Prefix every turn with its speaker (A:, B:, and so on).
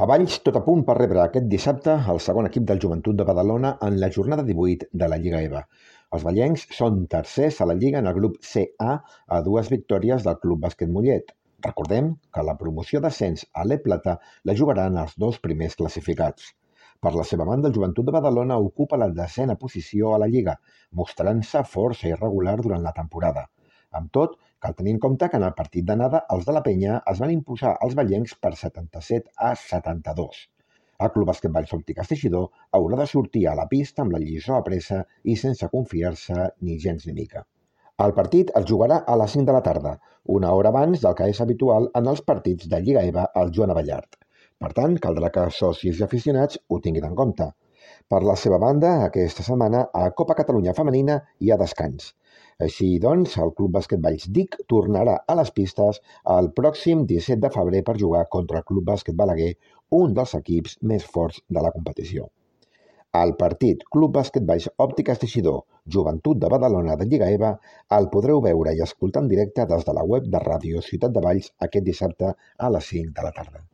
A: A Valls, tot a punt per rebre aquest dissabte el segon equip del Joventut de Badalona en la jornada 18 de la Lliga EVA. Els vallencs són tercers a la Lliga en el grup CA a 2 victòries del Club Bàsquet Mollet. Recordem que la promoció d'ascens a l'E Plata la jugaran els 2 primers classificats. Per la seva banda, el Joventut de Badalona ocupa la 10a posició a la Lliga, mostrant-se força irregular durant la temporada. Amb tot, cal tenir en compte que en el partit d'anada els de la Penya es van imposar als vallencs per 77-72. El Club Bàsquet Valls Òptiques Teixidor haurà de sortir a la pista amb la lliçó apressa i sense confiar-se ni gens ni mica. El partit es jugarà a les 5 de la tarda, una hora abans del que és habitual en els partits de Lliga EVA al Joan Abellart. Per tant, caldrà que socis i aficionats ho tinguin en compte. Per la seva banda, aquesta setmana a Copa Catalunya Femenina hi ha descans. Així doncs, el Club Bàsquet Valls DIC tornarà a les pistes el pròxim 17 de febrer per jugar contra el Club Bàsquet Balaguer, un dels equips més forts de la competició. El partit Club Bàsquet Valls Òptiques Teixidor, Joventut de Badalona de Lliga EVA, el podreu veure i escoltar en directe des de la web de Ràdio Ciutat de Valls aquest dissabte a les 5 de la tarda.